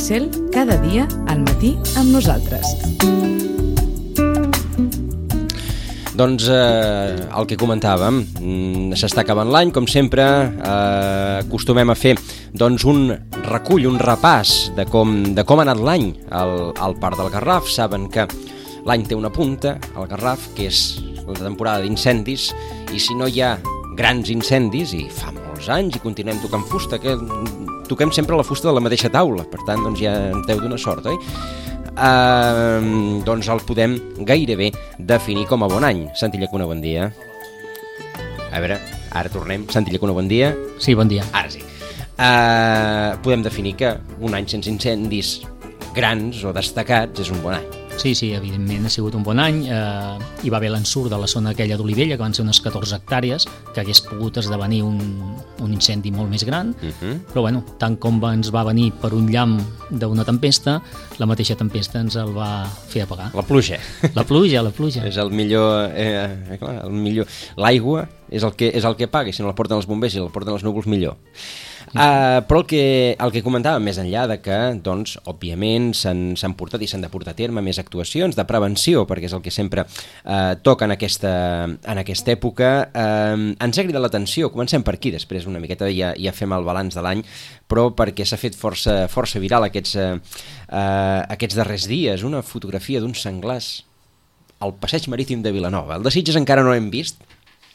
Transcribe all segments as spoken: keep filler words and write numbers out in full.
Cel, cada dia al matí amb nosaltres. Doncs eh, el que comentàvem, s'està acabant l'any, com sempre, eh, acostumem a fer doncs, un recull, un repàs de com, de com ha anat l'any al, al Parc del Garraf. Saben que l'any té una punta, al Garraf, que és la temporada d'incendis, i si no hi ha grans incendis, i fa molts anys, i continuem tocant fusta, que toquem sempre la fusta de la mateixa taula, per tant, doncs ja en teu d'una sort, oi? Uh, doncs el podem gairebé definir com a bon any. Santi Llacuna, bon dia. A veure, ara tornem. Santi Llacuna, bon dia. Sí, bon dia. Ara sí. Uh, podem definir que un any sense incendis grans o destacats és un bon any. Sí, sí, evidentment ha sigut un bon any. Eh, hi va haver l'ensurt de la zona aquella d'Olivella, que van ser unes catorze hectàrees, que hagués pogut esdevenir un, un incendi molt més gran, uh-huh. Però bueno, tant com ens va venir per un llamp d'una tempesta, la mateixa tempesta ens el va fer apagar. La pluja. La pluja, la pluja. És el millor... Eh, clar, el millor... L'aigua és el que, és el que paga, i si no la porten els bombers i la porten els núvols, millor. Uh, però el que, el que comentàvem més enllà de que, doncs, òbviament s'han, s'han portat i s'han de portar a terme més actuacions de prevenció, perquè és el que sempre uh, toca en aquesta, en aquesta època, uh, ens ha cridat l'atenció. Comencem per aquí, després una miqueta ja, ja fem el balanç de l'any, però perquè s'ha fet força, força viral aquests, uh, uh, aquests darrers dies, una fotografia d'un senglars al passeig marítim de Vilanova. El de Sitges encara no l'hem vist,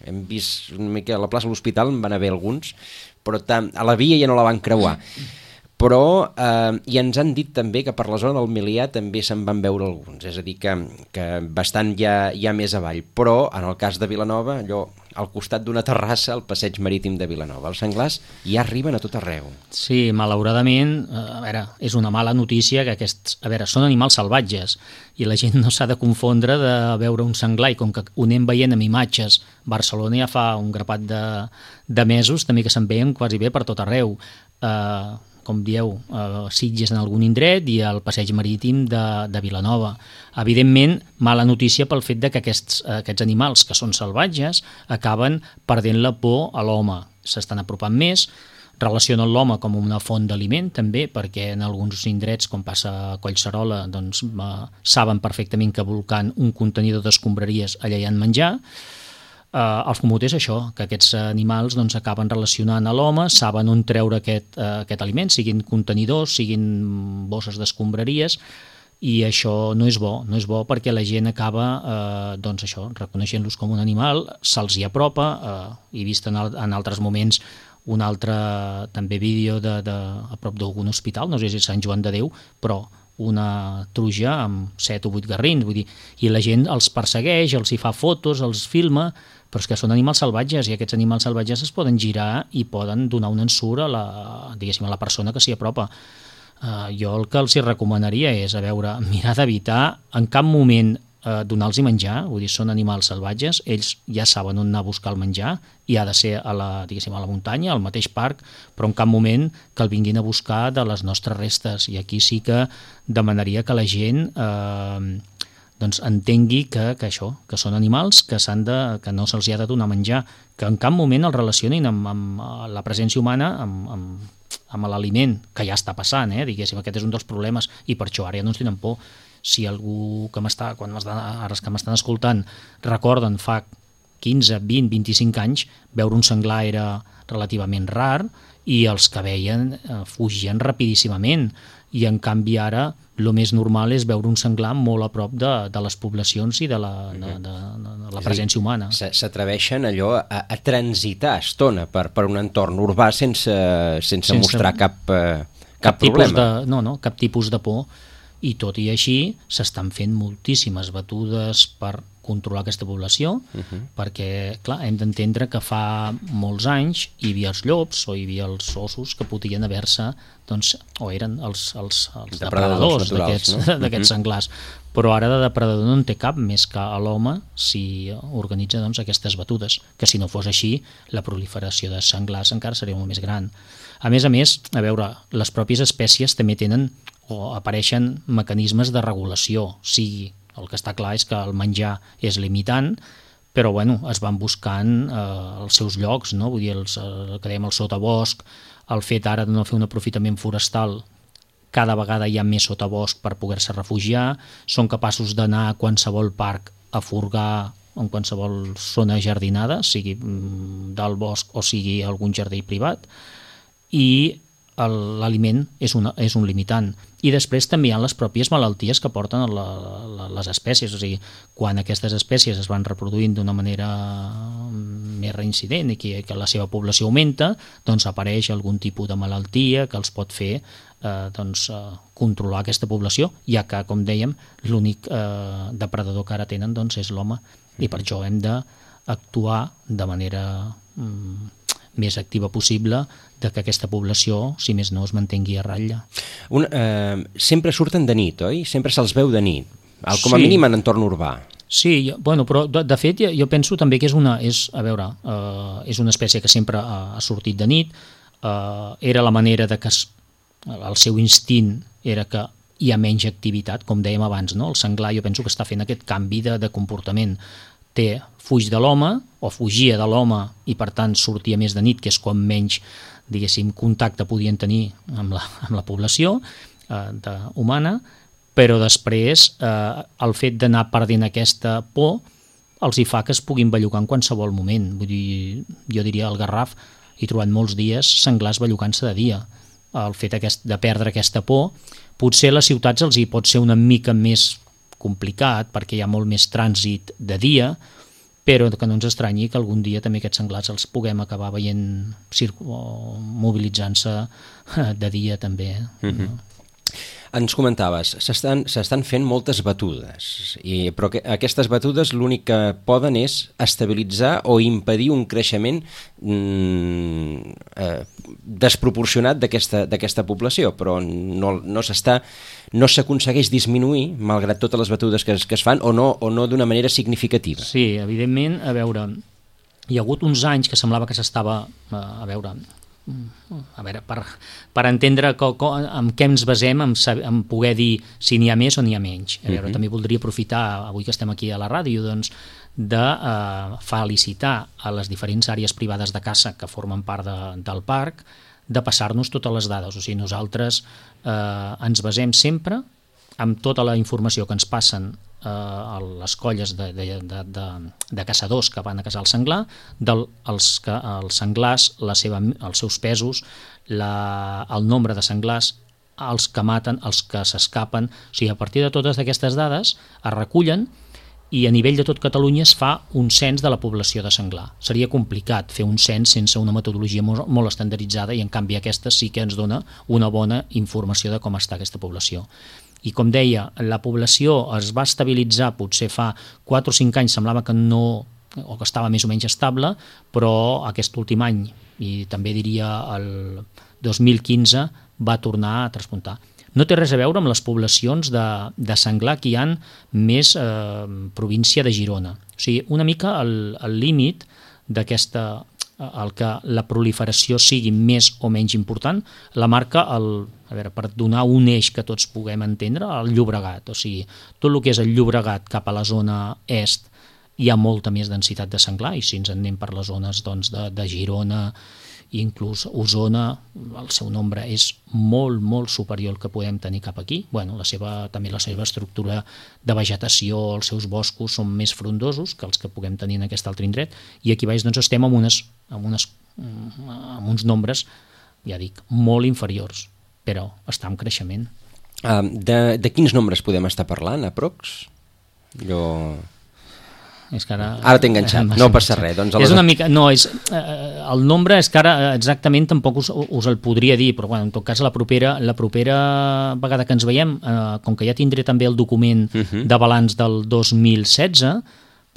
hem vist una mica a la plaça de l'Hospital, en van haver alguns, però a la via ja no la van creuar. Però eh, i ens han dit també que per la zona del Milià també se'n van veure alguns, és a dir, que, que bastant ja, ja més avall. Però en el cas de Vilanova, allò al costat d'una terrassa, al passeig marítim de Vilanova, els senglars ja arriben a tot arreu. Sí, malauradament, a veure, és una mala notícia que aquests, a veure, són animals salvatges i la gent no s'ha de confondre de veure un senglar, i com que ho anem veient amb imatges, Barcelona ja fa un grapat de, de mesos també que se'n veien quasi bé per tot arreu. Eh, com dieu, eh, Sitges en algun indret i el passeig marítim de, de Vilanova. Evidentment, mala notícia pel fet de que aquests, aquests animals que són salvatges acaben perdent la por a l'home. S'estan apropant més, relacionen l'home com una font d'aliment també, perquè en alguns indrets, com passa a Collserola, doncs, eh, saben perfectament que volcant un contenidor d'escombraries allà hi ha menjar. Uh, els comutes això, que aquests animals doncs, acaben relacionant a l'home, saben on treure aquest, uh, aquest aliment, siguin contenidors, siguin bosses d'escombraries, i això no és bo, no és bo perquè la gent acaba uh, doncs això, reconeixent-los com un animal, se'ls hi apropa, uh, he vist en, al, en altres moments un altre també vídeo de, de, a prop d'algun hospital, no sé si és Sant Joan de Déu, però una truja amb set o vuit garrins, vull dir, i la gent els persegueix, els hi fa fotos, els filma, però és que són animals salvatges i aquests animals salvatges es poden girar i poden donar un ensurt a la, diguéssim, a la persona que s'hi apropa. Uh, jo el que els hi recomanaria és, a veure, mirar d'evitar en cap moment uh, donar-los menjar, vull dir, són animals salvatges, ells ja saben on anar a buscar el menjar i ha de ser a la, diguéssim, a la muntanya, al mateix parc, però en cap moment que el vinguin a buscar de les nostres restes, i aquí sí que demanaria que la gent eh, doncs entengui que, que això, que són animals que, s'han de, que no se'ls ha de donar menjar, que en cap moment els relacionin amb, amb la presència humana, amb, amb, amb l'aliment, que ja està passant, eh? Diguéssim, aquest és un dels problemes, i per això ara ja no ens tenen por. Si algú que m'està, quan m'està, ara que m'estan escoltant, recorden fa quinze, vint, vint-i-cinc anys, veure un senglar era relativament rar, i els que veien eh, fugien rapidíssimament, i en canvi ara el més normal és veure un senglar molt a prop de, de les poblacions i de la, de, de, de la presència humana. S'atreveixen allò a, a transitar estona per, per un entorn urbà sense, sense, sense mostrar cap, eh, cap, cap problema. De, no, no, cap tipus de por, i tot i així s'estan fent moltíssimes batudes per controlar aquesta població, uh-huh. perquè, clar, hem d'entendre que fa molts anys hi havia els llops o hi havia els ossos que podien haver-se, doncs, o eren els, els, els depredadors, depredadors d'aquests, no? d'aquests uh-huh. senglars, però ara de depredador no en té cap més que a l'home si organitza doncs, aquestes batudes, que si no fos així la proliferació de senglars encara seria molt més gran. A més a més, a veure, les pròpies espècies també tenen o apareixen mecanismes de regulació, sigui el que està clar és que el menjar és limitant, però bueno, es van buscant eh, els seus llocs, no? Vull dir, els, el que dèiem el sotabosc, el fet ara de no fer un aprofitament forestal cada vegada hi ha més sotabosc per poder-se refugiar, són capaços d'anar a qualsevol parc a furgar en qualsevol zona jardinada, sigui del bosc o sigui algun jardí privat, i l'aliment és, una, és un limitant. I després també hi ha les pròpies malalties que porten la, la, les espècies, o sigui, quan aquestes espècies es van reproduint d'una manera més reincident i que, que la seva població augmenta, doncs apareix algun tipus de malaltia que els pot fer eh, doncs, eh, controlar aquesta població, ja que, com dèiem, l'únic eh, depredador que ara tenen doncs, és l'home, i per això hem d'actuar de manera mm, més activa possible de que aquesta població, si més no, es mantengui a ratlla. Un, eh, sempre surten de nit, oi? Sempre se'ls veu de nit, com a sí. mínim en entorn urbà. Sí, jo, bueno, però de, de fet jo, jo penso també que és una, és, a veure, eh, és una espècie que sempre ha, ha sortit de nit, eh, era la manera de que es, el seu instint era que hi ha menys activitat, com dèiem abans, no? El senglar jo penso que està fent aquest canvi de, de comportament. Té, fuig de l'home, o fugia de l'home i per tant sortia més de nit, que és quan menys, diguéssim, contacte podien tenir amb la, amb la població eh, de, humana, però després eh, el fet d'anar perdent aquesta por els hi fa que es puguin bellugar en qualsevol moment. Vull dir, jo diria al Garraf he trobat molts dies senglars bellugant-se de dia. El fet aquest, de perdre aquesta por, potser a les ciutats els hi pot ser una mica més complicat perquè hi ha molt més trànsit de dia, però que no ens estranyi que algun dia també aquests senglars els puguem acabar veient mobilitzant-se de dia també. Mm-hmm. No? Ens comentaves, s'estan s'estan fent moltes batudes, i, però que, aquestes batudes l'únic que poden és estabilitzar o impedir un creixement mm, eh, desproporcionat d'aquesta d'aquesta població, però no, no s'està no s'aconsegueix disminuir, malgrat totes les batudes que es, que es fan, o no, o no d'una manera significativa. Sí, evidentment, a veure, hi ha hagut uns anys que semblava que s'estava, a veure... a veure, per, per entendre co, co, en què ens basem en, en poder dir si n'hi ha més o n'hi ha menys. A veure, uh-huh. També voldria aprofitar, avui que estem aquí a la ràdio, doncs, de eh, felicitar a les diferents àrees privades de caça que formen part de, del parc, de passar-nos totes les dades. O sigui, nosaltres eh, ens basem sempre amb tota la informació que ens passen a les colles de, de, de, de, de caçadors que van a caçar el senglar, del, els, els senglars, la seva, els seus pesos, la, el nombre de senglars, els que maten, els que s'escapen. O sigui, a partir de totes aquestes dades es recullen i a nivell de tot Catalunya es fa un cens de la població de senglar. Seria complicat fer un cens sense una metodologia molt, molt estandarditzada, i en canvi aquesta sí que ens dona una bona informació de com està aquesta població. I com deia, la població es va estabilitzar potser fa quatre o cinc anys, semblava que no, o que estava més o menys estable, però aquest últim any, i també diria el dos mil quinze, va tornar a traspuntar. No té res a veure amb les poblacions de, de senglar que hi ha més eh, província de Girona. O sigui, una mica el, el límit d'aquesta, el que la proliferació sigui més o menys important, la marca, el, a veure, per donar un eix que tots puguem entendre, el Llobregat. O sigui, tot el que és el Llobregat cap a la zona est hi ha molta més densitat de senglar, i si ens en anem per les zones doncs, de, de Girona, inclús Osona, el seu nombre és molt, molt superior al que podem tenir cap aquí. Bueno, la seva, també la seva estructura de vegetació, els seus boscos són més frondosos que els que puguem tenir en aquest altre indret, i aquí baix doncs, estem amb, unes, amb, unes, amb uns nombres, ja dic, molt inferiors, però està en creixement. Uh, de, de quins nombres podem estar parlant, aprox? Jo... És que ara, ara t'he enganxat, no passa res. Doncs és una mica, no, és, eh, el nombre és que ara exactament tampoc us, us el podria dir, però bueno, en tot cas la propera, la propera vegada que ens veiem, eh, com que ja tindré també el document uh-huh. de balanç del dos mil setze,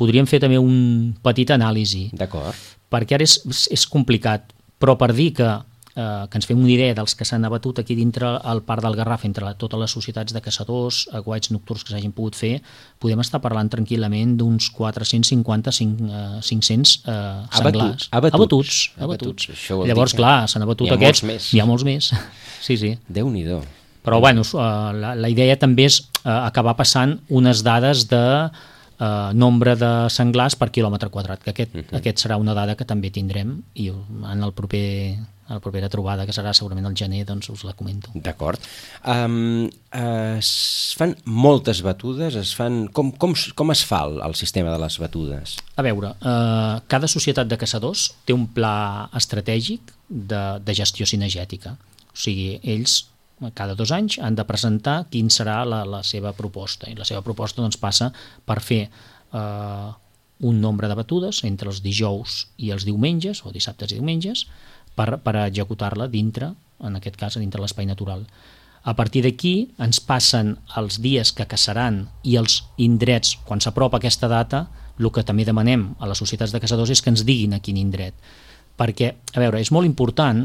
podríem fer també un petit anàlisi. D'acord. Perquè ara és, és complicat, però per dir que Eh, que ens fem una idea dels que s'han abatut aquí dintre el parc del Garraf, entre totes les societats de caçadors, aguaits nocturns que s'hagin pogut fer, podem estar parlant tranquil·lament d'uns quatre-cents cinquanta a cinc-cents eh, senglars. Abatuts. Abatuts. Abatuts. Abatuts. Abatuts. Llavors, clar, s'han abatut hi aquests. Molts hi ha molts més. Sí, sí. Déu-n'hi-do. Però, bueno, la, la idea també és eh, acabar passant unes dades de eh, nombre de senglars per quilòmetre quadrat, que aquest, uh-huh. aquest serà una dada que també tindrem i en el proper, a la propera trobada, que serà segurament al gener, doncs us la comento. D'acord. Um, uh, es fan moltes batudes, es fan... Com, com, com es fa el, el sistema de les batudes? A veure, eh, cada societat de caçadors té un pla estratègic de, de gestió cinegètica. O sigui, ells cada dos anys han de presentar quin serà la, la seva proposta, i la seva proposta doncs, passa per fer eh, un nombre de batudes entre els dijous i els diumenges, o dissabtes i diumenges, per, per executar-la dintre, en aquest cas, dintre l'espai natural. A partir d'aquí ens passen els dies que caçaran i els indrets, quan s'apropa aquesta data, el que també demanem a les societats de caçadors és que ens diguin a quin indret. Perquè, a veure, és molt important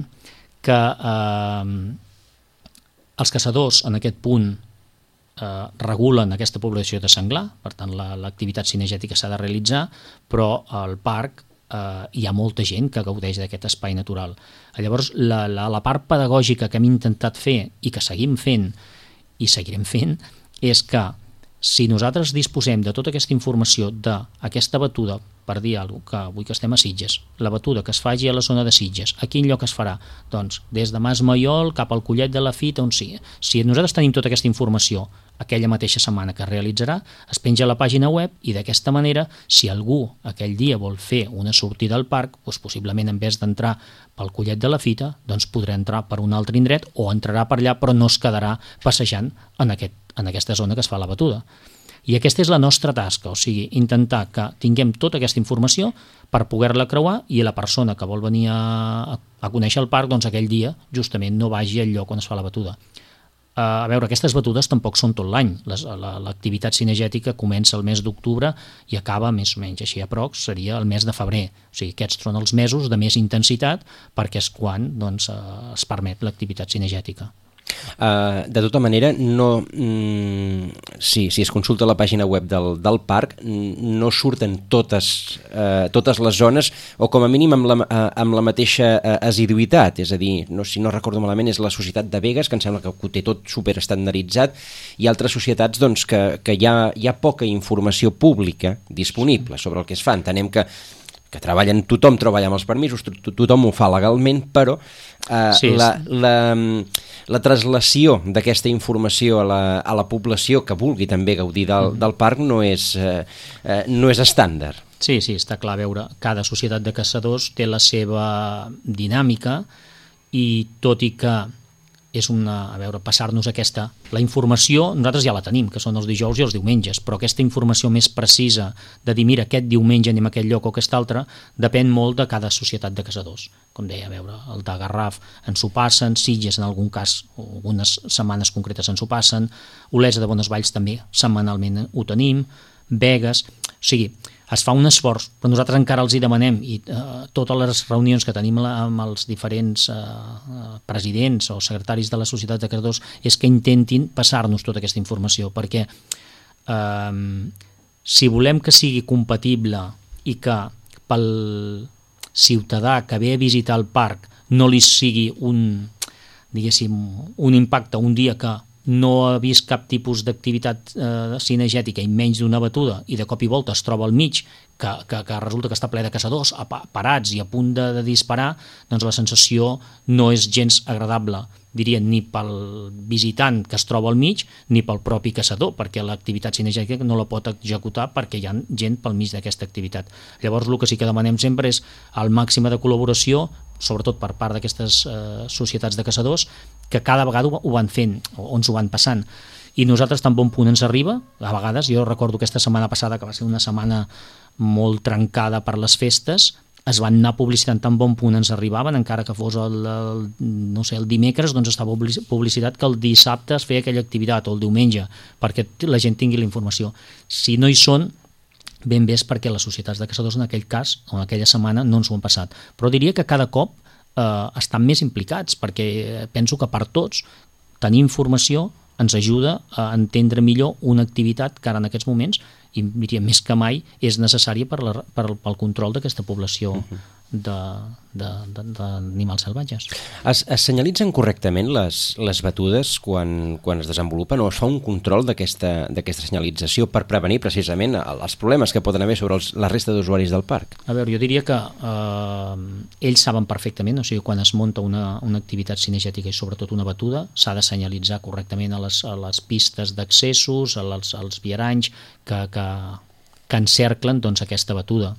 que eh, els caçadors en aquest punt eh, regulen aquesta població de senglar, per tant l'activitat la, cinegètica s'ha de realitzar, però al parc eh, hi ha molta gent que gaudeix d'aquest espai natural. Llavors la, la, la part pedagògica que hem intentat fer i que seguim fent i seguirem fent és que si nosaltres disposem de tota aquesta informació d'aquesta batuda, per dir alguna cosa, que avui que estem a Sitges, la batuda que es faci a la zona de Sitges, a quin lloc es farà? Doncs des de Mas Maiol cap al Collet de la Fita, on sigui. Si nosaltres tenim tota aquesta informació aquella mateixa setmana que es realitzarà, es penja a la pàgina web i d'aquesta manera, si algú aquell dia vol fer una sortida al parc, doncs possiblement en vez d'entrar pel Collet de la Fita, doncs podrà entrar per un altre indret o entrarà per allà però no es quedarà passejant en, aquest, en aquesta zona que es fa la batuda. I aquesta és la nostra tasca, o sigui, intentar que tinguem tota aquesta informació per poder-la creuar i la persona que vol venir a, a conèixer el parc, doncs aquell dia justament no vagi al lloc on es fa la batuda. A veure, aquestes batudes tampoc són tot l'any. L'activitat cinegètica comença el mes d'octubre i acaba més o menys així a prox, seria el mes de febrer. O sigui, aquests són els mesos de més intensitat perquè és quan doncs, es permet l'activitat cinegètica. Uh, de tota manera, no, mm, sí, si es consulta la pàgina web del, del parc, no surten totes, uh, totes les zones, o com a mínim amb la, uh, amb la mateixa uh, assiduïtat, és a dir, no, si no recordo malament, és la Societat de Begues, que em sembla que ho té tot superestandarditzat, i altres societats doncs, que, que hi, ha, hi ha poca informació pública disponible sobre el que es fa. Entenem que que treballen, tothom treballa amb els permisos, to tothom ho fa legalment, però eh, sí, la, la, la traslació d'aquesta informació a la, a la població que vulgui també gaudir del, del parc no és, eh, eh, no és estàndard. Sí, sí, està clar. A veure, cada societat de caçadors té la seva dinàmica i tot i que és una, a veure, passar-nos aquesta... La informació nosaltres ja la tenim, que són els dijous i els diumenges, però aquesta informació més precisa de dir, mira, aquest diumenge anem a aquest lloc o aquest altre, depèn molt de cada societat de caçadors. Com deia, a veure, el de Garraf ens ho passen, Sitges en algun cas, algunes setmanes concretes ens ho passen, Olesa de Bonesvalls també setmanalment ho tenim, Begues... O sigui, es fa un esforç, però nosaltres encara els hi demanem i eh, totes les reunions que tenim la, amb els diferents eh, presidents o secretaris de les societats de caçadors és que intentin passar-nos tota aquesta informació, perquè eh, si volem que sigui compatible i que pel ciutadà que ve a visitar el parc no li sigui un, diguéssim, un impacte un dia que no ha vist cap tipus d'activitat eh, cinegètica i menys d'una batuda i de cop i volta es troba al mig que, que, que resulta que està ple de caçadors parats i a punt de, de disparar, doncs la sensació no és gens agradable, diria, ni pel visitant que es troba al mig ni pel propi caçador, perquè l'activitat cinegètica no la pot executar perquè hi ha gent pel mig d'aquesta activitat. Llavors el que sí que demanem sempre és el màxim de col·laboració, sobretot per part d'aquestes eh, societats de caçadors, que cada vegada ho van fent, o ens ho van passant. I nosaltres tan bon punt ens arriba, a vegades, jo recordo aquesta setmana passada, que va ser una setmana molt trencada per les festes, es van anar publicitant tan bon punt ens arribaven, encara que fos el, el, no sé, el dimecres, doncs estava publicitat que el dissabte es feia aquella activitat, o el diumenge, perquè la gent tingui la informació. Si no hi són, ben bé és perquè les societats de caçadors en aquell cas, o en aquella setmana, no ens ho han passat. Però diria que cada cop eh, estan més implicats, perquè penso que per tots tenir informació ens ajuda a entendre millor una activitat que ara en aquests moments, i diria més que mai, és necessària per la, per, pel control d'aquesta població uh-huh. d'animals salvatges. Es, es senyalitzen correctament les, les batudes quan, quan es desenvolupen, o es fa un control d'aquesta d'aquesta senyalització per prevenir precisament els problemes que poden haver sobre els, la resta d'usuaris del parc? A veure, jo diria que eh, ells saben perfectament, o sigui, quan es munta una, una activitat cinegètica i sobretot una batuda, s'ha de senyalitzar correctament a les, a les pistes d'accessos, als, als viaranys que, que, que encerclen doncs, aquesta batuda.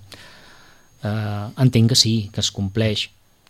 Uh, entenc que sí, que es compleix,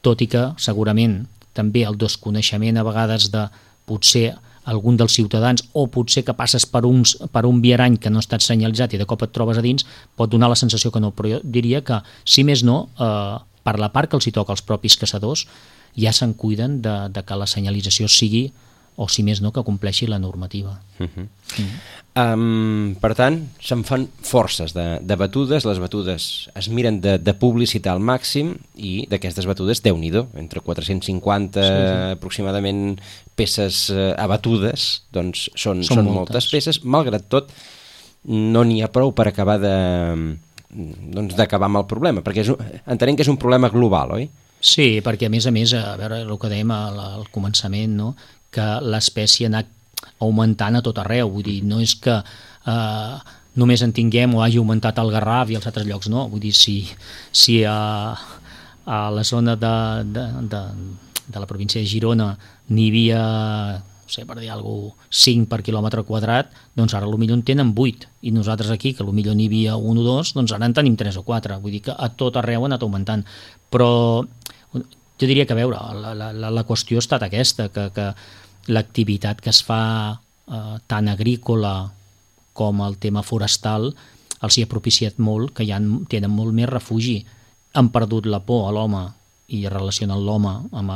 tot i que segurament també el desconeixement a vegades de potser algun dels ciutadans, o potser que passes per, uns, per un viarany que no ha estat senyalitzat i de cop et trobes a dins, pot donar la sensació que no, però jo diria que, si més no, uh, per la part que els hi toca als propis caçadors, ja se'n cuiden de, de que la senyalització sigui, o si més no, que compleixi la normativa. Uh-huh. mm. Um, per tant, se'n fan forces de, de batudes, les batudes es miren de, de publicitar al màxim, i d'aquestes batudes, Déu-n'hi-do, entre quatre-cents cinquanta sí, sí. aproximadament peces uh, abatudes, doncs són, són, són moltes. moltes peces, malgrat tot no n'hi ha prou per acabar de doncs d'acabar amb el problema, perquè és, entenem que és un problema global, oi? Sí, perquè a més a més, a veure el que dèiem al, al començament, no? Que l'espècie ha anat augmentant a tot arreu, vull dir, no és que eh, només en tinguem o hagi augmentat el Garraf i als altres llocs, no, vull dir, si, si a, a la zona de, de, de, de la província de Girona n'hi havia, no sé, per dir alguna cosa, cinc per quilòmetre quadrat, doncs ara potser en tenen vuit, i nosaltres aquí, que potser n'hi havia un o dos, doncs ara en tenim tres o quatre, vull dir que a tot arreu ha anat augmentant, però jo diria que, a veure, la, la, la qüestió ha estat aquesta, que, que l'activitat que es fa eh, tant agrícola com el tema forestal els hi ha propiciat molt, que ja tenen molt més refugi. Han perdut la por a l'home i relacionen l'home amb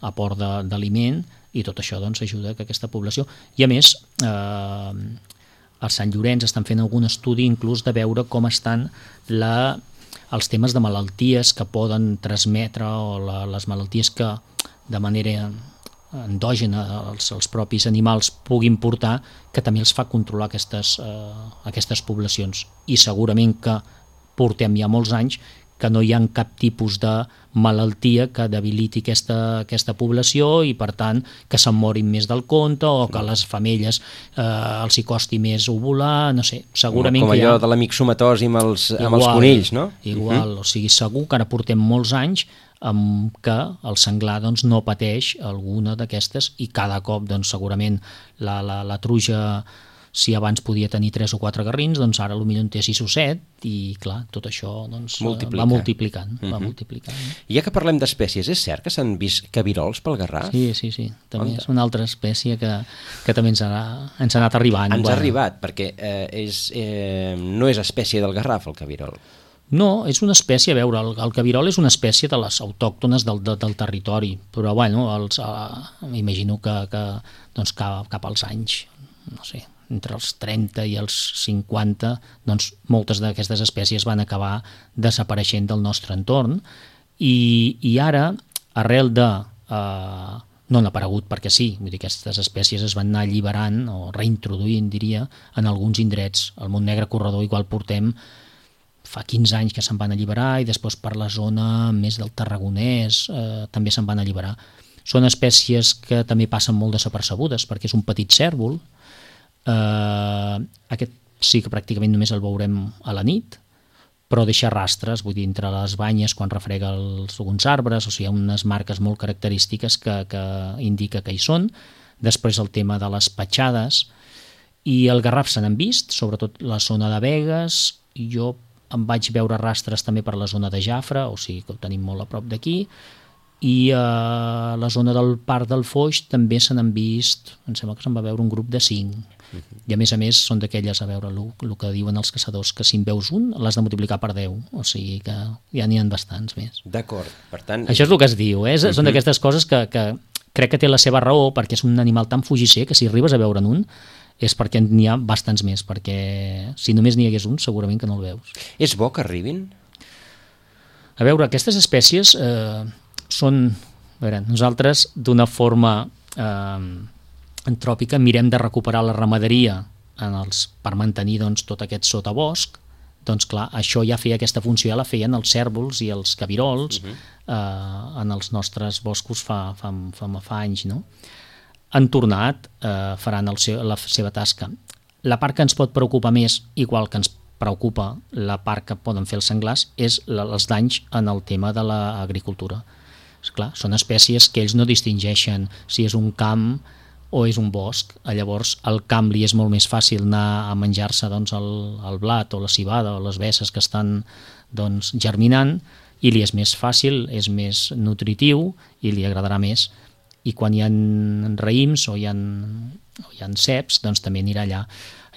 l'aport d'aliment, i tot això doncs, ajuda a que aquesta població... I a més, eh, a Sant Llorenç estan fent algun estudi inclús de veure com estan la... els temes de malalties que poden transmetre, o la, les malalties que de manera endògena els, els propis animals puguin portar, que també els fa controlar aquestes, eh, aquestes poblacions. I segurament que portem ja molts anys que no hi ha cap tipus de malaltia que debiliti aquesta, aquesta població, i per tant que se'n morin més del compte, o que a les femelles eh, els hi costi més ovular, no sé, segurament com, com que hi ha... allò de la mixomatòsi amb els, igual, amb els conills, no? Igual, uh-huh. O sigui, segur que ara portem molts anys amb que el senglar doncs, no pateix alguna d'aquestes, i cada cop doncs, segurament la, la, la truja, si abans podia tenir tres o quatre garrins, doncs ara potser en té sis o set, i clar, tot això doncs, va multiplicant. Uh-huh. va multiplicant. Ja que parlem d'espècies, és cert que s'han vist cabirols pel Garraf? Sí, sí, sí. També és una altra espècie que, que també ens ha, ens ha anat arribant. Ens bueno. ha arribat, perquè eh, és, eh, no és espècie del Garraf, el cabirol. No, és una espècie, a veure, el, el cabirol és una espècie de les autòctones del, de, del territori, però bueno, els, eh, m'imagino que, que doncs, cap, cap als anys, no sé, entre els trenta i els cinquanta, doncs moltes d'aquestes espècies van acabar desapareixent del nostre entorn, i, i ara, arrel de... Eh, no han aparegut perquè sí, vull dir, aquestes espècies es van anar alliberant, o reintroduint, diria, en alguns indrets. Al Montnegre Corredor igual portem fa quinze anys que se'n van alliberar, i després per la zona més del Tarragonès eh, també se'n van alliberar. Són espècies que també passen molt desapercebudes, perquè és un petit cèrvol. Uh, aquest sí que pràcticament només el veurem a la nit, però deixa rastres, vull dir, entre les banyes quan refrega els, alguns arbres, o sigui, hi ha unes marques molt característiques que, que indica que hi són. Després el tema de les petjades, i el garraf se n'han vist, sobretot la zona de Begues. Jo em vaig veure rastres també per la zona de Jafre, o sigui que ho tenim molt a prop d'aquí, i a la zona del Parc del Foix també se n'han vist, em sembla que se'n va veure un grup de cinc. I a més a més són d'aquelles, a veure, el que diuen els caçadors, que si en veus un l'has de multiplicar per deu, o sigui que ja n'hi ha bastants més. D'acord, per tant... Això és el que es diu, eh? Són d'aquestes coses que, que crec que té la seva raó, perquè és un animal tan fugisser que si arribes a veure'n un és perquè n'hi ha bastants més, perquè si només n'hi hagués un segurament que no el veus. És bo que arribin? A veure, aquestes espècies eh, són... A veure, nosaltres d'una forma... Eh, antròpica mirem de recuperar la ramaderia en els, per mantenir doncs, tot aquest sotabosc doncs clar, això ja feia aquesta funció, ja la feien els cèrvols i els cabirols uh -huh. eh, en els nostres boscos fa, fa, fa, fa anys, no? Han tornat, eh, faran el seu, la seva tasca. La part que ens pot preocupar més, igual que ens preocupa la part que poden fer els senglars, és la, els danys en el tema de l'agricultura. Esclar, són espècies que ells no distingeixen si és un camp o és un bosc. Llavors al camp li és molt més fàcil anar a menjar-se doncs, el, el blat o la civada o les besses que estan doncs, germinant, i li és més fàcil, és més nutritiu i li agradarà més. I quan hi ha raïms o hi ha, o hi ha ceps, doncs també anirà allà.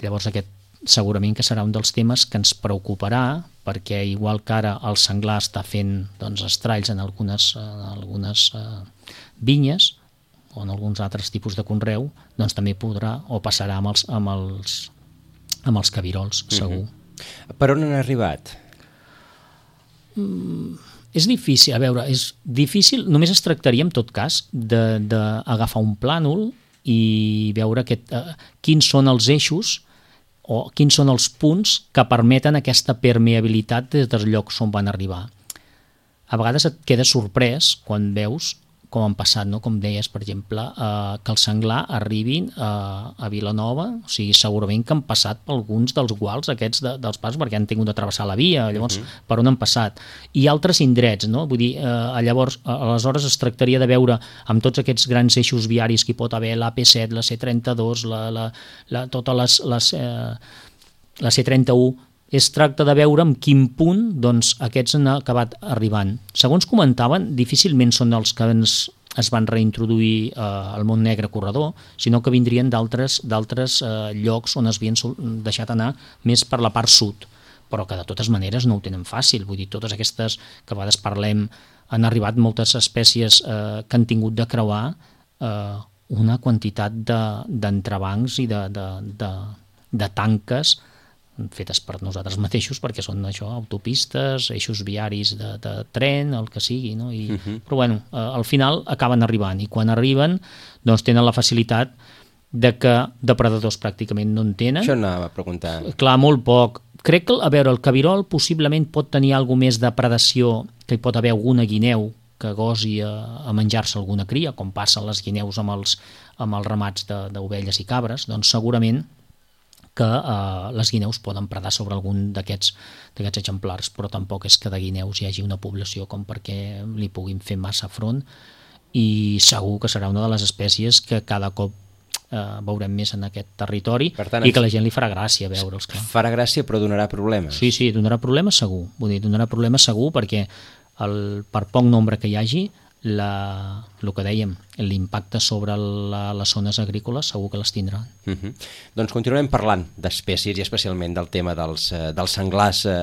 Llavors aquest segurament que serà un dels temes que ens preocuparà, perquè igual que ara el senglar està fent doncs, estralls en algunes, en algunes uh, vinyes o en alguns altres tipus de conreu, doncs també podrà o passarà amb els, amb els, amb els cabirols, segur. Mm-hmm. Per on han arribat? Mm, és difícil, a veure, és difícil, només es tractaria en tot cas d'agafar un plànol i veure aquest, uh, quins són els eixos o quins són els punts que permeten aquesta permeabilitat des dels llocs on van arribar. A vegades et quedes sorprès quan veus com han passat, no? Com deies, per exemple, eh, que el senglar arribin eh, a Vilanova, o sigui, segurament que han passat per alguns dels guals aquests de, dels passos, perquè han tingut de travessar la via, llavors, uh-huh. per on han passat. I altres indrets, no? Vull dir, eh, llavors, aleshores es tractaria de veure amb tots aquests grans eixos viaris que hi pot haver, la A P set, la C trenta-dos, la, la, la, totes les, les, eh, la C trenta-u, es tracta de veure en quin punt doncs, aquests han acabat arribant. Segons comentaven, difícilment són els que ens, es van reintroduir eh, al Mont Negre corredor, sinó que vindrien d'altres d'altres eh, llocs on es havien deixat anar més per la part sud, però que de totes maneres no ho tenen fàcil. Vull dir, totes aquestes que a vegades parlem, han arribat moltes espècies eh, que han tingut de creuar eh, una quantitat d'entrebancs de, i de, de, de, de tanques fetes per nosaltres mateixos, perquè són això, autopistes, eixos viaris de, de tren, el que sigui, no? I, uh-huh. Però bueno, eh, al final acaben arribant, i quan arriben doncs tenen la facilitat de que depredadors pràcticament no en tenen. Això anava a preguntar. Clar, molt poc. Crec que, a veure, el cabirol possiblement pot tenir alguna més de predació, que hi pot haver alguna guineu que gosi a, a menjar-se alguna cria, com passen les guineus amb els, amb els ramats d'ovelles i cabres, doncs segurament que eh, les guineus poden predar sobre algun d'aquests d'aquests exemplars, però tampoc és que de guineus hi hagi una població com perquè li puguin fer massa front, i segur que serà una de les espècies que cada cop eh, veurem més en aquest territori, tant, i que la gent li farà gràcia veure'ls. Clar. Farà gràcia però donarà problemes. Sí, sí, donarà problemes segur, vull dir, donarà problemes segur perquè el, per poc nombre que hi hagi, la, el que dèiem, l'impacte sobre la, les zones agrícoles segur que les tindrà. Uh-huh. Doncs continuarem parlant d'espècies i especialment del tema dels, eh, dels senglars eh,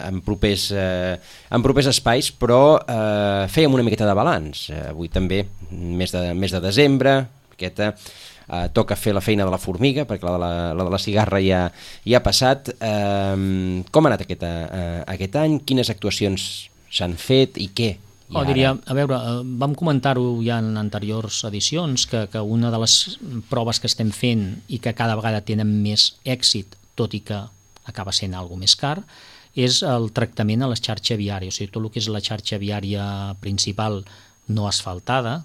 en, propers, eh, en propers espais, però eh, fèiem una miqueta de balanç. Eh, avui també, mes de, mes de desembre, miqueta, eh, toca fer la feina de la formiga, perquè la de la, la, de la cigarra ja, ja ha passat. Eh, com ha anat aquest, eh, aquest any? Quines actuacions s'han fet i què? Oh, diria, a veure, vam comentar-ho ja en anteriors edicions, que, que una de les proves que estem fent i que cada vegada tenen més èxit, tot i que acaba sent alguna més car, és el tractament a la xarxa viària. O sigui, tot el que és la xarxa viària principal no asfaltada,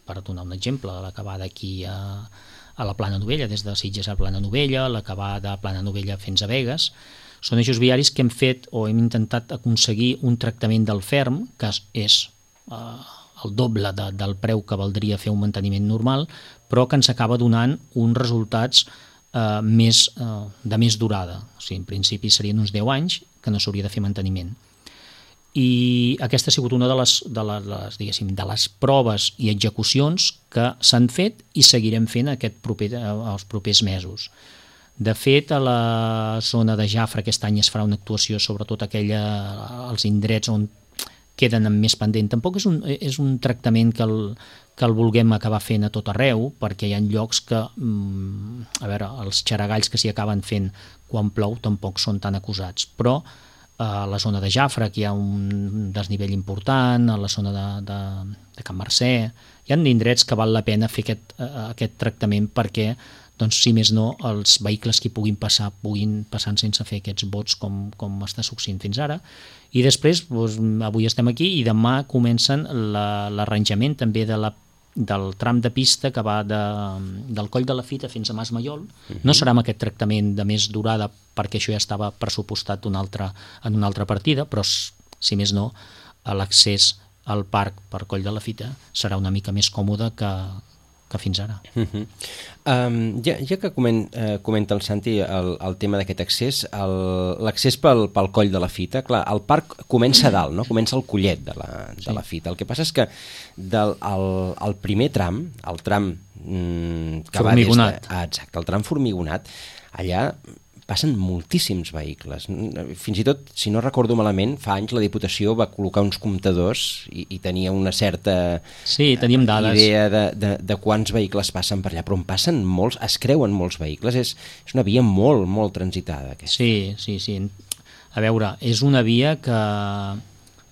per donar un exemple, la que va d'aquí a, a la Plana Novella, des de Sitges a Plana Novella, la que va de Plana Novella fins a Begues. Són eixos viaris que hem fet o hem intentat aconseguir un tractament del ferm, que és eh, el doble de, del preu que valdria fer un manteniment normal, però que ens acaba donant uns resultats eh, més, eh, de més durada. O sigui, en principi serien uns deu anys que no s'hauria de fer manteniment. I aquesta ha sigut una de les, de les, diguéssim, de les proves i execucions que s'han fet i seguirem fent aquest proper, els propers mesos. De fet, a la zona de Jafre aquest any es farà una actuació, sobretot aquella, els indrets on queden amb més pendent. Tampoc és un, és un tractament que el, que el vulguem acabar fent a tot arreu, perquè hi ha llocs que, a veure, els xaragalls que s'hi acaben fent quan plou tampoc són tan acusats, però a la zona de Jafre, que hi ha un desnivell important, a la zona de, de, de Can Mercè, hi ha indrets que val la pena fer aquest, aquest tractament perquè doncs, si més no, els vehicles que hi puguin passar puguin passar sense fer aquests bots com, com està succeint fins ara. I després, doncs, avui estem aquí i demà comencen la, l'arranjament també de la, del tram de pista que va de, del Coll de la Fita fins a Mas Maiol. Uh-huh. No serà amb aquest tractament de més durada perquè això ja estava pressupostat una altra, en una altra partida, però si més no, l'accés al parc per Coll de la Fita serà una mica més còmode que, que fins ara. Uh-huh. um, ja, ja que coment, uh, comenta el Santi el, el tema d'aquest accés, el, l'accés pel, pel Coll de la Fita, clar, el parc comença a dalt, no? Comença al collet de la, de sí. la Fita. El que passa és que del, el, el primer tram, el tram mm, que formigonat. va des de, ah, exacte, el tram formigonat, allà passen moltíssims vehicles. Fins i tot, si no recordo malament, fa anys la Diputació va col·locar uns comptadors i, i tenia una certa sí, teníem dades. idea de, de, de quants vehicles passen per allà, però en passen molts, es creuen molts vehicles, és, és una via molt, molt transitada. Aquesta. Sí, sí, sí. A veure, és una via que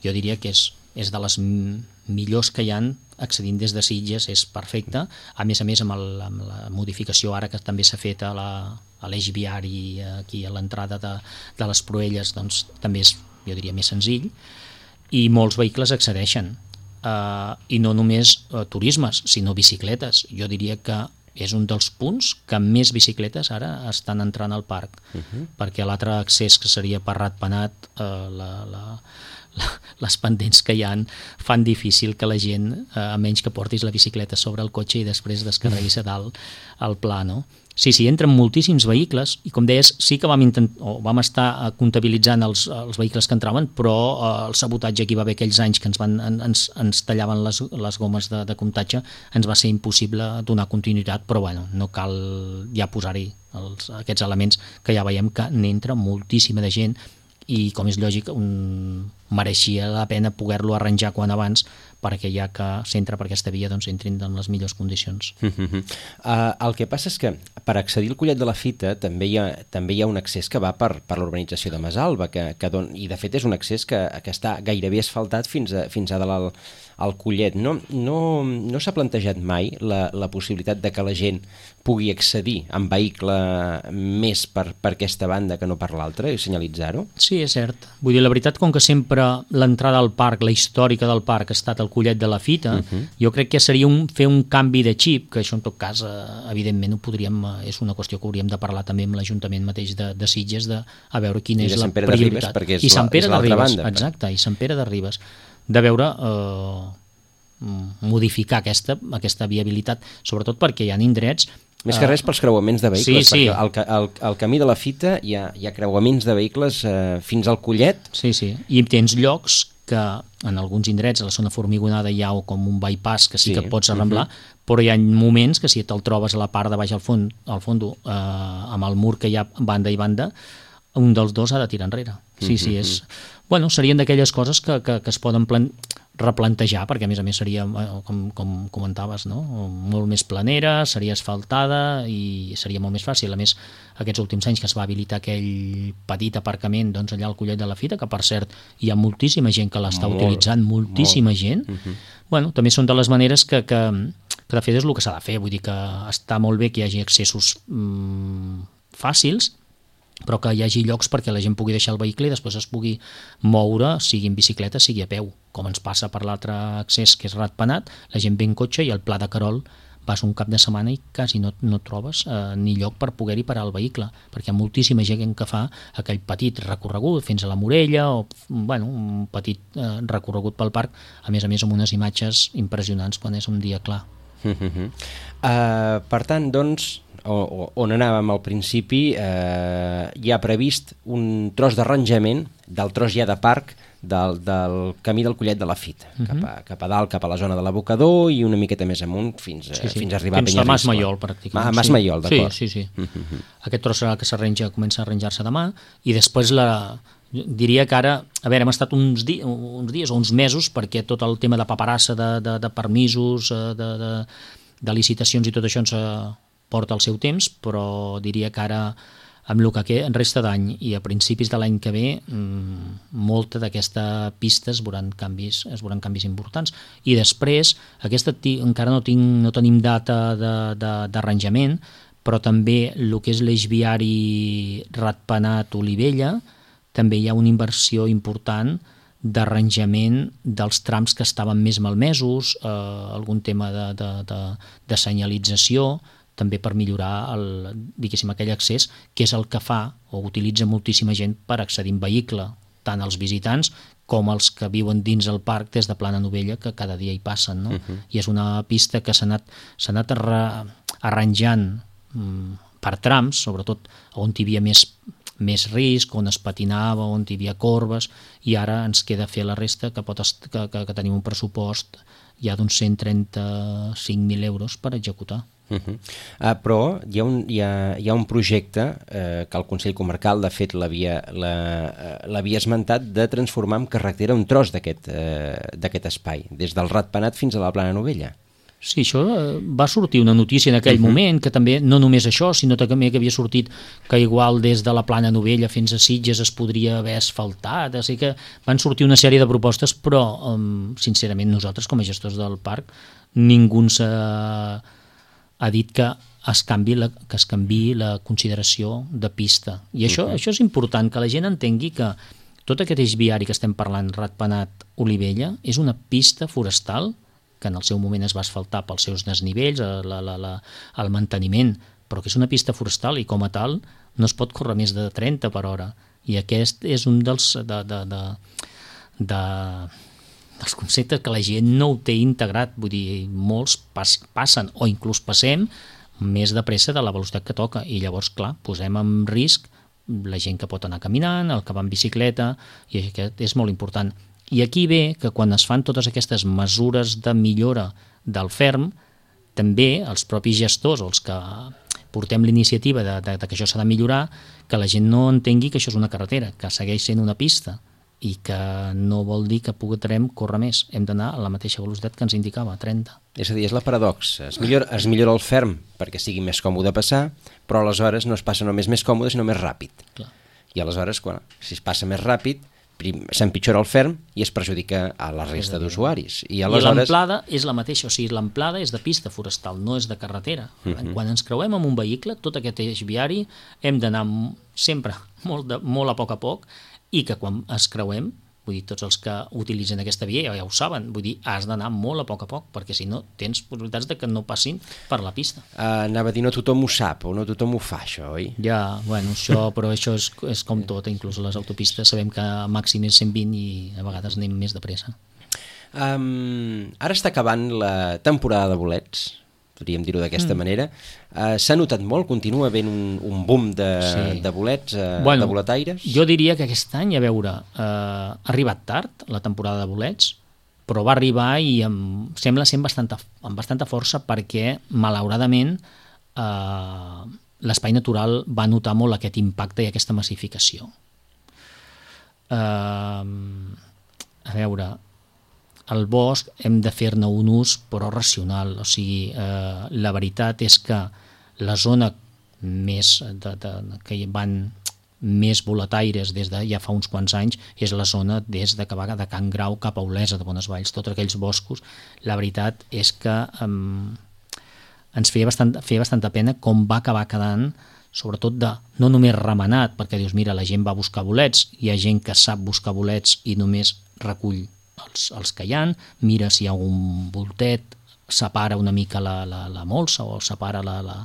jo diria que és, és de les millors que hi han accedint des de Sitges, és perfecte. A més a més, amb, el, amb la modificació ara que també s'ha fet a la a l'eix viari aquí a l'entrada de, de les Proelles, doncs també és, jo diria, més senzill, i molts vehicles accedeixen. Uh, I no només uh, turismes, sinó bicicletes. Jo diria que és un dels punts que més bicicletes ara estan entrant al parc, uh-huh. perquè l'altre accés, que seria per Ratpenat, uh, la, la, la, les pendents que hi han fan difícil que la gent, uh, a menys que portis la bicicleta sobre el cotxe i després descarreguis a dalt al pla, no? Sí, sí, entren moltíssims vehicles i, com deies, sí que vam, intent... o vam estar comptabilitzant els, els vehicles que entraven, però eh, el sabotatge que hi va haver aquells anys que ens, van, ens, ens tallaven les, les gomes de, de comptatge ens va ser impossible donar continuïtat, però bueno, no cal ja posar-hi els, aquests elements que ja veiem que n'entra moltíssima de gent i, com és lògic, un... mereixia la pena poder-lo arranjar quan abans perquè ja que s'entra per aquesta via doncs entrin en les millors condicions. Uh-huh. Uh, el que passa és que per accedir al Collet de la Fita també hi ha, també hi ha un accés que va per, per l'urbanització de Masalba, que, que don, i de fet és un accés que, que està gairebé asfaltat fins a, fins a dalt al, al Collet. No, no, no s'ha plantejat mai la, la possibilitat de que la gent pugui accedir en vehicle més per, per aquesta banda que no per l'altra i senyalitzar-ho? Sí, és cert. Vull dir, la veritat, com que sempre l'entrada al parc, la històrica del parc ha estat el Collet de la Fita, uh-huh. jo crec que seria un, fer un canvi de xip, que això en tot cas, eh, evidentment, ho podríem, eh, és una qüestió que hauríem de parlar també amb l'Ajuntament mateix de, de Sitges, de a veure quina I és la Ribes, prioritat. perquè és I Sant Pere la, és de Ribes, banda. exacte, i Sant Pere de Ribes. De veure... Eh, modificar aquesta, aquesta viabilitat, sobretot perquè hi ha indrets... Més que res pels creuaments de vehicles, sí, sí. perquè al, al, al camí de la Fita hi ha, hi ha creuaments de vehicles eh, fins al Collet. Sí, sí, i tens llocs que en alguns indrets, a la zona formigonada, hi ha com un bypass que sí, sí. que pots arramblar, uh-huh. però hi ha moments que si te'l trobes a la part de baix al fons, al fondo, eh, amb el mur que hi ha banda i banda, un dels dos ha de tirar enrere. Sí, sí, és... Bueno, serien d'aquelles coses que, que, que es poden plan... replantejar, perquè a més a més seria, com, com comentaves, no? molt més planera, seria asfaltada i seria molt més fàcil. A més, aquests últims anys que es va habilitar aquell petit aparcament doncs, allà al Collet de la Fita, que per cert hi ha moltíssima gent que l'està molt, utilitzant, moltíssima molt. gent, uh-huh. bueno, també són de les maneres que, que, que de fet és el que s'ha de fer, vull dir que està molt bé que hi hagi accessos mmm, fàcils, però que hi hagi llocs perquè la gent pugui deixar el vehicle i després es pugui moure, sigui en bicicleta, sigui a peu, com ens passa per l'altre accés que és Ratpenat, la gent ve en cotxe i al Pla de Querol vas un cap de setmana i quasi no, no trobes eh, ni lloc per poder-hi parar el vehicle, perquè hi ha moltíssima gent que fa aquell petit recorregut fins a la Morella o bueno, un petit eh, recorregut pel parc, a més a més amb unes imatges impressionants quan és un dia clar. Uh-huh. Uh, per tant, doncs, o, on anàvem al principi, eh, hi ha previst un tros d'arranjament del tros ja de parc del, del camí del Collet de la Fita, uh-huh. cap, a, cap a dalt, cap a la zona de l'abocador i una miqueta més amunt fins, sí, sí. fins a arribar fins a Penyarriscle. Fins a Mas Maiol, pràcticament. A Mas sí. Maiol, d'acord. Sí, sí, sí. Uh-huh. Aquest tros serà que s'arrenja, comença a arranjar-se demà i després la... diria que ara, a veure, hem estat uns, di uns dies o uns mesos perquè tot el tema de paperassa, de, de, de permisos, de, de, de licitacions i tot això ens porta el seu temps, però diria que ara amb el que en resta d'any i a principis de l'any que ve mmm, molta d'aquesta pista es veuran canvis, es veuran canvis importants i després, aquesta encara no, tinc, no tenim data d'arranjament, però també el que és l'eix viari Ratpenat-Olivella, també hi ha una inversió important d'arranjament dels trams que estaven més malmesos, eh, algun tema de, de, de, de senyalització, també per millorar el, diguéssim, aquell accés, que és el que fa o utilitza moltíssima gent per accedir en vehicle, tant els visitants com els que viuen dins el parc des de Plana Novella, que cada dia hi passen, no? Uh-huh. I és una pista que s'ha anat, s'ha anat arra, arranjant mm, per trams, sobretot on hi havia més més risc, on es patinava, on hi havia corbes, i ara ens queda fer la resta, que, pot est- que, que, que tenim un pressupost ja d'uns cent trenta-cinc mil euros per executar. Uh -huh. uh, però hi ha un, hi ha, hi ha un projecte eh, que el Consell Comarcal, de fet, l'havia la, l'havia esmentat, de transformar en carretera un tros d'aquest eh, d'aquest espai, des del Ratpenat fins a la Plana Novella. Sí, això eh, va sortir una notícia en aquell Uh-huh. moment, que també no només això, sinó també que havia sortit que igual des de la Plana Novella fins a Sitges es podria haver asfaltat, així que van sortir una sèrie de propostes, però um, sincerament nosaltres com a gestors del parc ningú ens ha, ha dit que es canvi la, que es canvi la consideració de pista. I això, uh-huh. això és important, que la gent entengui que tot aquest eix viari que estem parlant, Ratpenat-Olivella, és una pista forestal que en el seu moment es va asfaltar pels seus desnivells, la, la, la, el manteniment, però que és una pista forestal i com a tal no es pot córrer més de trenta per hora. I aquest és un dels, de, de, de, de, dels conceptes que la gent no ho té integrat. Vull dir, molts pas, passen o inclús passem més de pressa de la velocitat que toca i llavors, clar, posem en risc la gent que pot anar caminant, el que va en bicicleta, i aquest és molt important. I aquí ve que quan es fan totes aquestes mesures de millora del ferm, també els propis gestors o els que portem l'iniciativa de, de, de que això s'ha de millorar, que la gent no entengui que això és una carretera, que segueix sent una pista i que no vol dir que podrem córrer més. Hem d'anar a la mateixa velocitat que ens indicava, trenta. És a dir, és la paradoxa. Es millora, es millora el ferm perquè sigui més còmode passar, però aleshores no es passa només més còmode, sinó més ràpid. Clar. I aleshores, quan, si es passa més ràpid, s'empitjora el ferm i es perjudica a la resta d'usuaris. I, aleshores... I l'amplada és la mateixa, o sigui, l'amplada és de pista forestal, no és de carretera. Uh-huh. Quan ens creuem amb un vehicle, tot aquest eix viari hem d'anar sempre molt, de, molt a poc a poc, i que quan es creuem, vull dir, tots els que utilitzen aquesta via ja, ja ho saben, vull dir, has d'anar molt a poc a poc, perquè si no tens possibilitats de que no passin per la pista. Uh, anava a dir, no tothom ho sap, o no tothom ho fa, això, oi? Ja, bueno, això, però això és, és com tot, inclús a les autopistes sabem que màxim és cent vint i a vegades anem més de pressa. Um, ara està acabant la temporada de bolets, podríem dir-ho d'aquesta mm. manera. Uh, s'ha notat molt, continua havent un, un boom de, sí. de bolets, uh, bueno, de boletaires? Jo diria que aquest any, a veure, uh, ha arribat tard la temporada de bolets, però va arribar i em sembla ser amb bastanta, amb bastanta força perquè, malauradament, uh, l'espai natural va notar molt aquest impacte i aquesta massificació. Uh, a veure... El bosc hem de fer-ne un ús però racional, o sigui, eh, la veritat és que la zona més de, de, que hi van més boletaires des de ja fa uns quants anys és la zona des de que va de Can Grau cap a Olesa de Bonesvalls, tots aquells boscos. La veritat és que eh, ens feia, bastant, feia bastanta pena com va acabar quedant, sobretot de no només remenat, perquè dius, mira, la gent va buscar bolets, hi ha gent que sap buscar bolets i només recull Els, els que hi ha, mira si hi ha un voltet, separa una mica la, la, la molsa o separa la, la,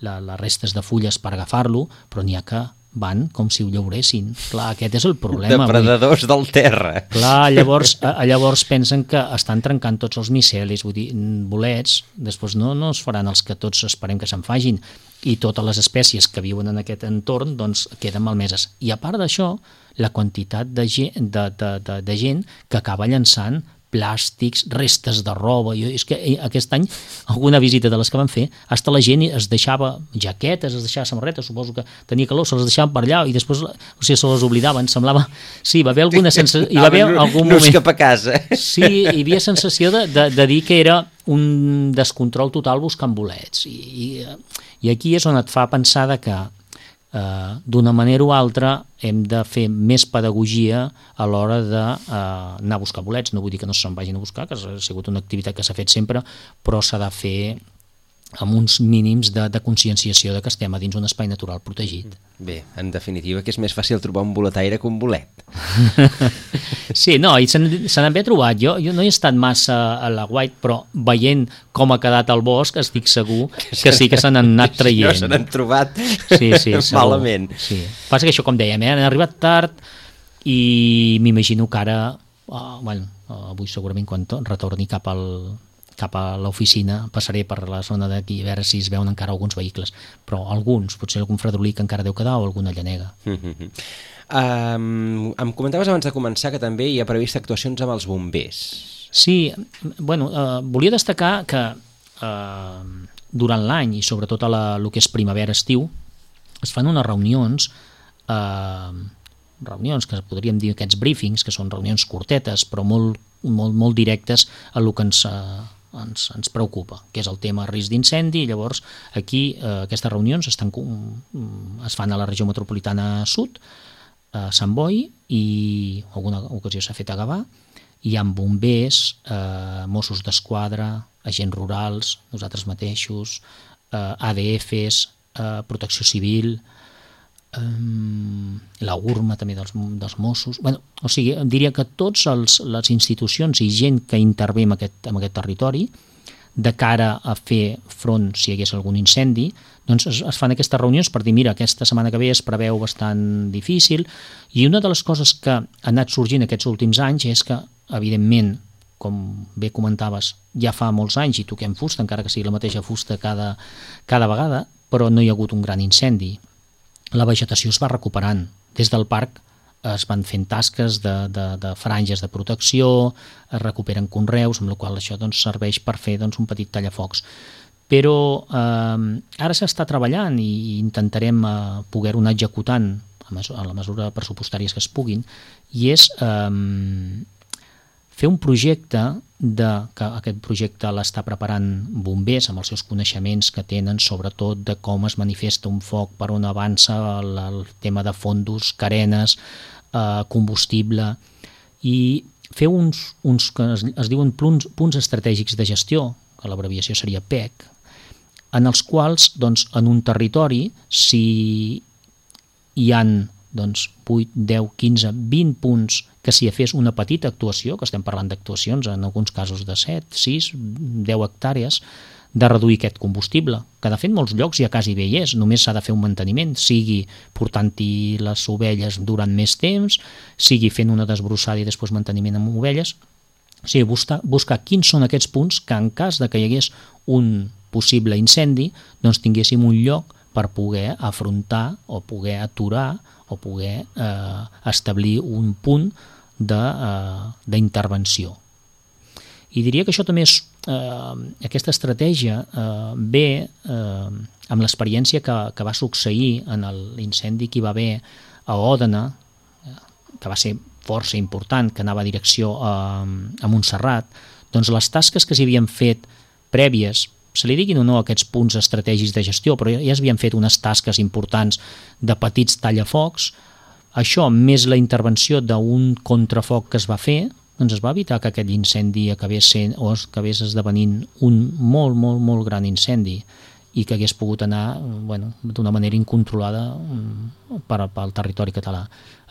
la, les restes de fulles per agafar-lo, però n'hi ha que van com si ho llauressin. Clar, aquest és el problema. Depredadors del terra. Clar, llavors, a, llavors pensen que estan trencant tots els micelis, vull dir, bolets, després no, no es faran els que tots esperem que se'n fagin, i totes les espècies que viuen en aquest entorn doncs, queden malmeses. I a part d'això, la quantitat de gent, de, de, de, de gent que acaba llançant plàstics, restes de roba. Jo, és que aquest any, alguna visita de les que van fer, hasta la gent es deixava jaquetes, es deixava samarretes, suposo que tenia calor, se les deixaven per allà i després, o sigui, se les oblidaven, semblava... Sí, va haver alguna sensació... Hi va haver algun no moment... cap a casa. Sí, hi havia sensació de, de, de dir que era un descontrol total buscant bolets. I, i, i aquí és on et fa pensar que Uh, d'una manera o altra hem de fer més pedagogia a l'hora d'anar uh, a buscar bolets. No vull dir que no se'n vagin a buscar, que ha sigut una activitat que s'ha fet sempre, però s'ha de fer amb uns mínims de, de conscienciació de que estem a dins un espai natural protegit. Bé, en definitiva, que és més fàcil trobar un boletaire que un bolet. Sí, no, i se n'han bé trobat. Jo, jo no he estat massa a la White, però veient com ha quedat el bosc, estic segur que sí que se n'han anat traient. No, se n'han trobat sí, sí, malament. Sí. Passa que això, com dèiem, eh, han arribat tard i m'imagino que ara, uh, bueno, uh, avui segurament quan retorni cap al cap a l'oficina, passaré per la zona d'aquí a veure si es veuen encara alguns vehicles, però alguns, potser algun fredolí que encara deu quedar o alguna llanega. Mm-hmm. um, em comentaves abans de començar que també hi ha previst actuacions amb els bombers. Sí, bueno, uh, volia destacar que uh, durant l'any i sobretot a la, el que és primavera-estiu es fan unes reunions uh, reunions que podríem dir aquests briefings, que són reunions curtetes però molt, molt, molt directes a el que ens uh, Ens, ens preocupa, que és el tema risc d'incendi. Llavors aquí eh, aquestes reunions estan, es fan a la regió metropolitana sud, a Sant Boi, i alguna ocasió s'ha fet a Gavà. Hi ha bombers, eh, Mossos d'Esquadra, agents rurals, nosaltres mateixos, eh, A D Fs, eh, Protecció Civil, la U R M A també dels, dels Mossos. Bueno, o sigui, diria que tots els, les institucions i gent que intervé en aquest, en aquest territori de cara a fer front si hi hagués algun incendi, doncs es, es fan aquestes reunions per dir, mira, aquesta setmana que ve es preveu bastant difícil, i una de les coses que ha anat sorgint aquests últims anys és que, evidentment, com bé comentaves, ja fa molts anys i toquem fusta, encara que sigui la mateixa fusta cada, cada vegada, però no hi ha hagut un gran incendi. La vegetació es va recuperant. Des del parc es van fent tasques de, de, de franges de protecció, es recuperen conreus, amb la qual això doncs, serveix per fer doncs, un petit tallafocs. Però eh, ara s'està treballant i intentarem eh, poder-ho anar executant a, mesura, a la mesura pressupostàries que es puguin, i és eh, fer un projecte de, que aquest projecte l'està preparant bombers amb els seus coneixements que tenen sobretot de com es manifesta un foc, per on avança el, el tema de fondos, carenes, eh, combustible, i fer uns, uns que es, es diuen punts, punts estratègics de gestió, que l'abreviació seria P E C, en els quals doncs, en un territori, si hi han doncs, vuit, deu, quinze, vint punts que si fes una petita actuació, que estem parlant d'actuacions en alguns casos de set, sis, deu hectàrees, de reduir aquest combustible, que de fet molts llocs ja quasi bé hi és, només s'ha de fer un manteniment, sigui portant-hi les ovelles durant més temps, sigui fent una desbrossada i després manteniment amb ovelles. O sigui, buscar, buscar quins són aquests punts que en cas de que hi hagués un possible incendi, doncs tinguéssim un lloc per poder afrontar o poder aturar o poder eh, establir un punt d'intervenció. I diria que això també és, eh, aquesta estratègia eh, ve eh, amb l'experiència que, que va succeir en l'incendi que hi va haver a Òdena, eh, que va ser força important, que anava a direcció a, a Montserrat, doncs les tasques que s'hi havien fet prèvies, se li diguin o no aquests punts estratègics de gestió, però ja s'havien fet unes tasques importants de petits tallafocs. Això, més la intervenció d'un contrafoc que es va fer, doncs es va evitar que aquest incendi acabés sent o acabés esdevenint un molt, molt, molt gran incendi i que hagués pogut anar bueno, d'una manera incontrolada per, pel territori català.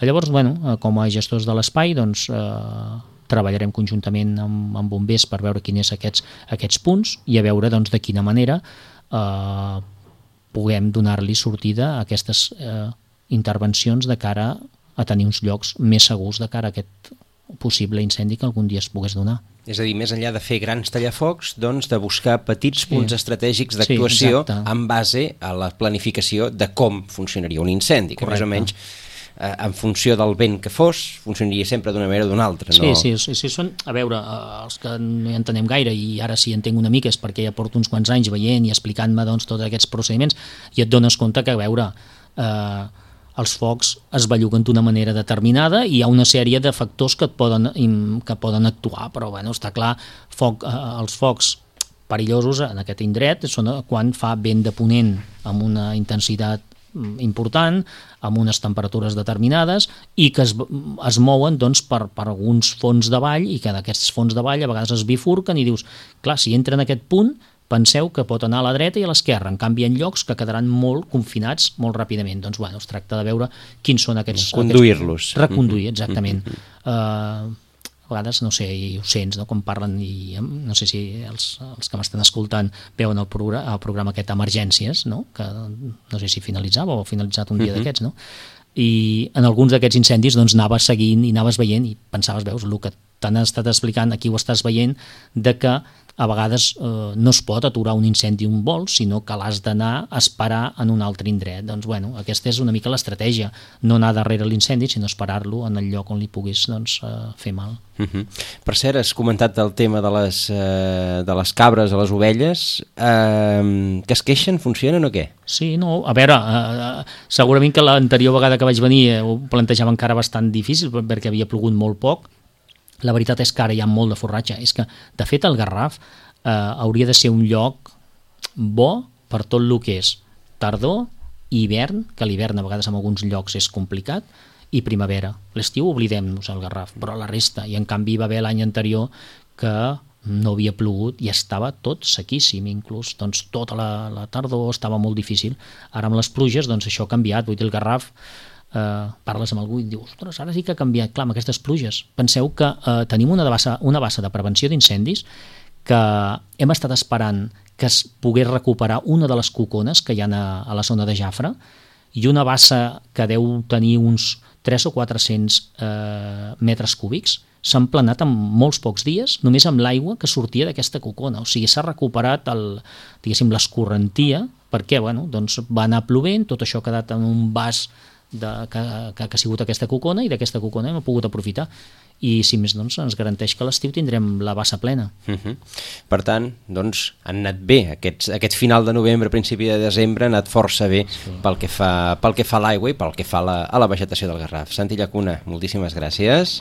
Llavors, bueno, com a gestors de l'espai, doncs, eh, treballarem conjuntament amb, amb bombers per veure quins són aquests, aquests punts i a veure doncs, de quina manera eh, puguem donar-li sortida a aquestes eh, intervencions de cara a tenir uns llocs més segurs de cara a aquest possible incendi que algun dia es pogués donar. És a dir, més enllà de fer grans tallafocs, doncs de buscar petits punts sí. estratègics d'actuació sí, en base a la planificació de com funcionaria un incendi, que Correcte. Més o menys eh, en funció del vent que fos, funcionaria sempre d'una manera o d'una altra. No? Sí, sí, sí, són, a veure, els que no hi entenem gaire, i ara sí entenc una mica, és perquè ja porto uns quants anys veient i explicant-me doncs, tots aquests procediments, i et dones compte que, a veure, eh, els focs es belluguen d'una manera determinada i hi ha una sèrie de factors que et poden, que poden actuar, però bueno, està clar, foc, eh, els focs perillosos en aquest indret són quan fa vent de ponent amb una intensitat important, amb unes temperatures determinades i que es, es mouen doncs, per, per alguns fons de vall i que d'aquests fons de vall a vegades es bifurquen i dius, clar, si entra en aquest punt, penseu que pot anar a la dreta i a l'esquerra, en canvi en llocs que quedaran molt confinats molt ràpidament. Doncs bueno, es tracta de veure quins són aquests... Conduir-los. Aquests, reconduir, exactament. Uh, a vegades, no sé, i ho sents, no? Com parlen, i no sé si els, els que m'estan escoltant veuen el, programa, el programa aquest Emergències, no? Que no sé si finalitzava o ha finalitzat un dia uh-huh. d'aquests, no? I en alguns d'aquests incendis doncs anaves seguint i anaves veient i pensaves, veus, el que t'han estat explicant, aquí ho estàs veient, de que a vegades eh, no es pot aturar un incendi un vol, sinó que l'has d'anar a esperar en un altre indret. Doncs bueno, aquesta és una mica l'estratègia, no anar darrere l'incendi, sinó esperar-lo en el lloc on li puguis doncs, eh, fer mal. Uh-huh. Per cert, has comentat el tema de les, eh, de les cabres a les ovelles, eh, que es queixen, funcionen o què? Sí, no, a veure, eh, segurament que l'anterior vegada que vaig venir eh, ho plantejava encara bastant difícil perquè havia plogut molt poc. La veritat és que ara hi ha molt de forratge. És que, de fet, el Garraf eh, hauria de ser un lloc bo per tot el que és tardor, hivern, que l'hivern a vegades en alguns llocs és complicat, i primavera. L'estiu oblidem-nos el Garraf, però la resta. I en canvi va haver l'any anterior que no havia plogut i estava tot sequíssim, inclús doncs, tota la, la tardor estava molt difícil. Ara amb les pluges doncs, això ha canviat. Vull dir, el Garraf... Uh, parles amb algú i dius, ostres, ara sí que ha canviat, clar, amb aquestes pluges. Penseu que uh, tenim una bassa, una bassa de prevenció d'incendis que hem estat esperant que es pogués recuperar una de les cocones que hi ha a, a la zona de Jafre i una bassa que deu tenir uns tres o quatre-cents uh, metres cúbics s'han planat en molts pocs dies només amb l'aigua que sortia d'aquesta cocona. O sigui, s'ha recuperat el, diguéssim, l'escorrentia perquè bueno, doncs va anar plovent, tot això ha quedat en un vas de, que, que, que ha sigut aquesta cocona i d'aquesta cocona hem pogut aprofitar i si més doncs ens garanteix que a l'estiu tindrem la bassa plena. Uh-huh. Per tant, doncs han anat bé aquests, aquest final de novembre, principi de desembre ha anat força bé sí. pel que fa, pel que fa a l'aigua i pel que fa a la, a la vegetació del Garraf. Santi Llacuna, moltíssimes gràcies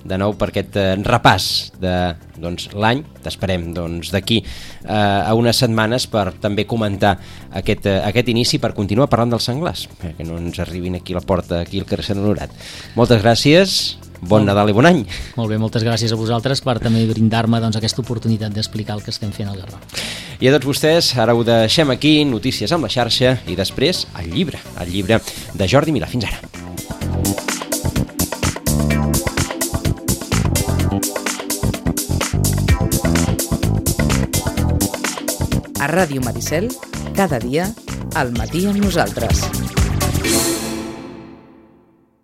de nou per aquest eh, repàs de doncs, l'any. T'esperem doncs, d'aquí eh, a unes setmanes per també comentar aquest, eh, aquest inici per continuar parlant dels senglars, que no ens arribin aquí a la porta, aquí al carrer Sant Honorat. Moltes gràcies. Bon molt, Nadal i bon any. Molt bé, moltes gràcies a vosaltres per també brindar-me doncs, aquesta oportunitat d'explicar el que estem fent al Garraf. I a tots vostès, ara ho deixem aquí, notícies amb la xarxa i després el llibre, el llibre de Jordi Milà. Fins ara. A Ràdio Maricel, cada dia, al matí amb nosaltres.